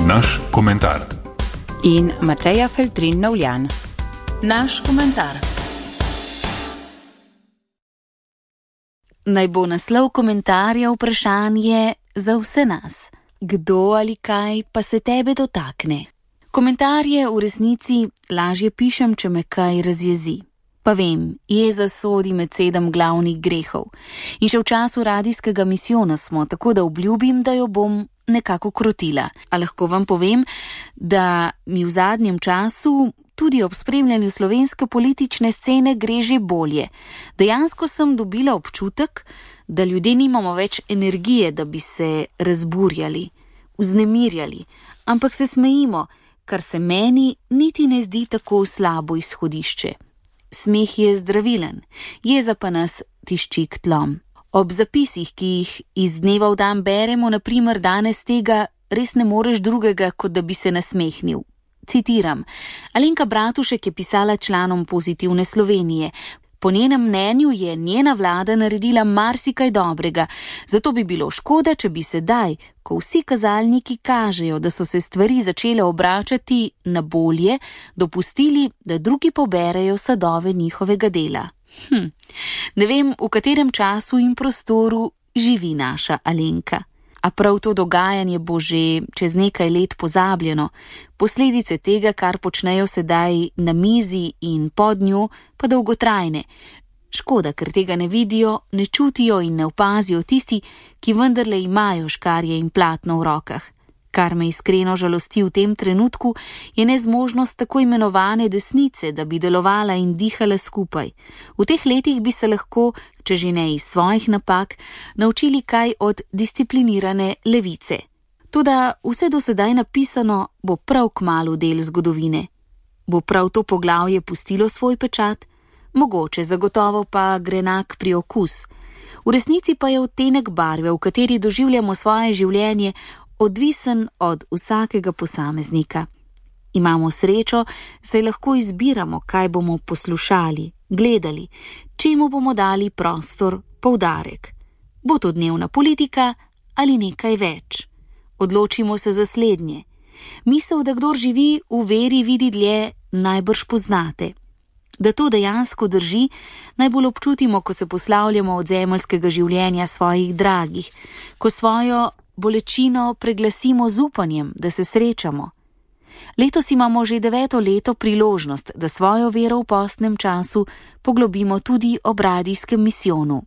Naš komentar. In Mateja Feltrin Novljan. Naš komentar. Naj bo naslov komentarja vprašanje za vse nas. Kdo ali kaj pa se tebe dotakne? Komentarje v resnici lažje pišem, če me kaj razjezi. Pa vem, jeza sodi med 7 glavnih grehov. In še v času radijskega misijona smo, tako da obljubim, da jo bom nekako krotila. A lahko vam povem, da mi v zadnjem času tudi ob spremljanju slovenske politične scene gre že bolje. Dejansko sem dobila občutek, da ljudje nimamo več energije, da bi se razburjali, vznemirjali, ampak se smejimo, kar se meni niti ne zdi tako slabo izhodišče. Smeh je zdravilen, jeza pa nas tišči k tlom. Ob zapisih, ki jih iz dneva v dan beremo, na primer danes tega res ne moreš drugega, kot da bi se nasmehnil. Citiram, Alenka Bratušek je pisala članom Pozitivne Slovenije. Po njenem mnenju je njena vlada naredila marsikaj dobrega, zato bi bilo škoda, če bi sedaj, ko vsi kazalniki kažejo, da so se stvari začele obračati na bolje, dopustili, da drugi poberejo sadove njihovega dela. Ne vem, v katerem času in prostoru živi naša Alenka. A prav to dogajanje bo že čez nekaj let pozabljeno, posledice tega, kar počnejo sedaj na mizi in pod njo, pa dolgotrajne. Škoda, ker tega ne vidijo, ne čutijo in ne opazijo tisti, ki vendarle imajo škarje in platno v rokah. Kar me iskreno žalosti v tem trenutku, je nezmožnost tako imenovane desnice, da bi delovala in dihala skupaj. V teh letih bi se lahko, če že ne iz svojih napak, naučili kaj od disciplinirane levice. Toda vse do sedaj napisano bo prav kmalu del zgodovine. Bo prav to poglavje pustilo svoj pečat? Mogoče, zagotovo pa grenak priokus. V resnici pa je odtenek barve, v kateri doživljamo svoje življenje, odvisen od vsakega posameznika. Imamo srečo, saj lahko izbiramo, kaj bomo poslušali, gledali, čemu bomo dali prostor, poudarek. Bo to dnevna politika ali nekaj več? Odločimo se za slednje. Misel, da kdor živi v veri, vidi dlje, najbrž poznate. Da to dejansko drži, najbolj občutimo, ko se poslavljamo od zemeljskega življenja svojih dragih, ko svojo bolečino preglasimo z upanjem, da se srečamo. Letos imamo že 9. leto priložnost, da svojo vero v postnem času poglobimo tudi ob radijskem misijonu.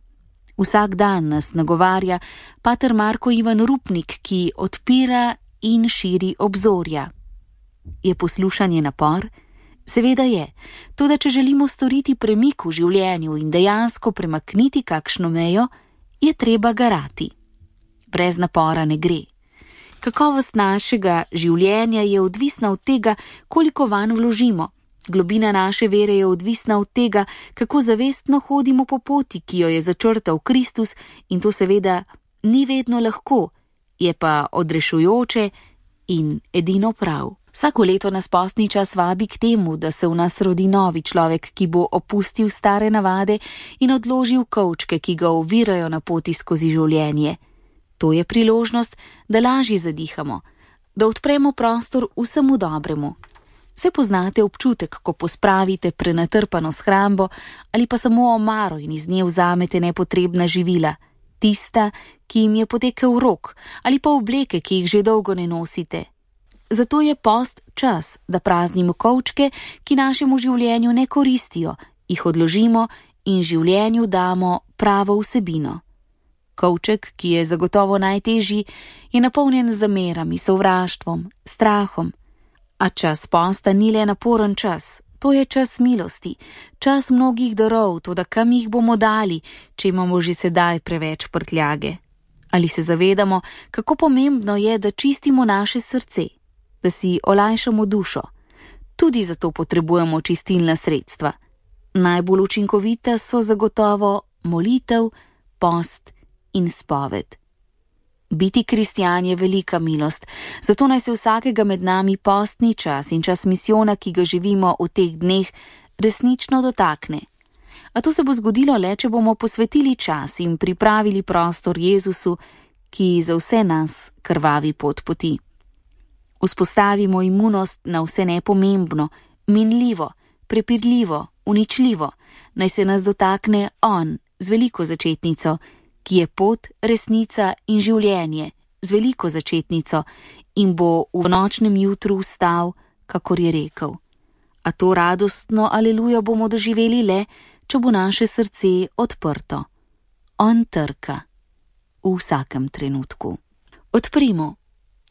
Vsak dan nas nagovarja pater Marko Ivan Rupnik, ki odpira in širi obzorja. Je poslušanje napor? Seveda je, toda če želimo storiti premik v življenju in dejansko premakniti kakšno mejo, je treba garati. Brez napora ne gre. Kakovost našega življenja je odvisna od tega, koliko vanj vložimo. Globina naše vere je odvisna od tega, kako zavestno hodimo po poti, ki jo je začrtal Kristus, in to seveda ni vedno lahko, je pa odrešujoče in edino prav. Vsako leto nas postni čas vabi k temu, da se v nas rodi novi človek, ki bo opustil stare navade in odložil kovčke, ki ga ovirajo na poti skozi življenje. To je priložnost, da lažje zadihamo, da odpremo prostor vsemu dobremu. Se poznate občutek, ko pospravite prenatrpano shrambo ali pa samo omaro in iz nje vzamete nepotrebna živila, tista, ki jim je potekel rok, ali pa obleke, ki jih že dolgo ne nosite. Zato je post čas, da praznimo kovčke, ki našemu življenju ne koristijo, jih odložimo in življenju damo pravo vsebino. Kovček, ki je zagotovo najtežji, je napolnjen z zamerami, sovraštvom, strahom. A čas posta ni le naporen čas, to je čas milosti, čas mnogih darov, toda kam jih bomo dali, če imamo že sedaj preveč prtljage? Ali se zavedamo, kako pomembno je, da čistimo naše srce, da si olajšamo dušo? Tudi zato potrebujemo čistilna sredstva. Najbolj učinkovita so zagotovo molitev, post in spoved. Biti kristjan je velika milost, zato naj se vsakega med nami postni čas in čas misijona, ki ga živimo v teh dneh, resnično dotakne. A to se bo zgodilo le, če bomo posvetili čas in pripravili prostor Jezusu, ki za vse nas krvavi pot poti. Vzpostavimo imunost na vse nepomembno, minljivo, prepirljivo, uničljivo, naj se nas dotakne on z veliko začetnico, ki je pot, resnica in življenje z veliko začetnico in bo v nočnem jutru vstal, kakor je rekel. A to radostno aleluja bomo doživeli le, če bo naše srce odprto. On trka v vsakem trenutku. Odprimo,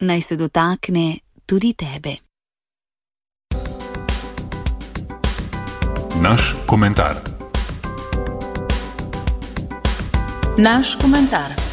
naj se dotakne tudi tebe. Naš komentar. Naš komentar.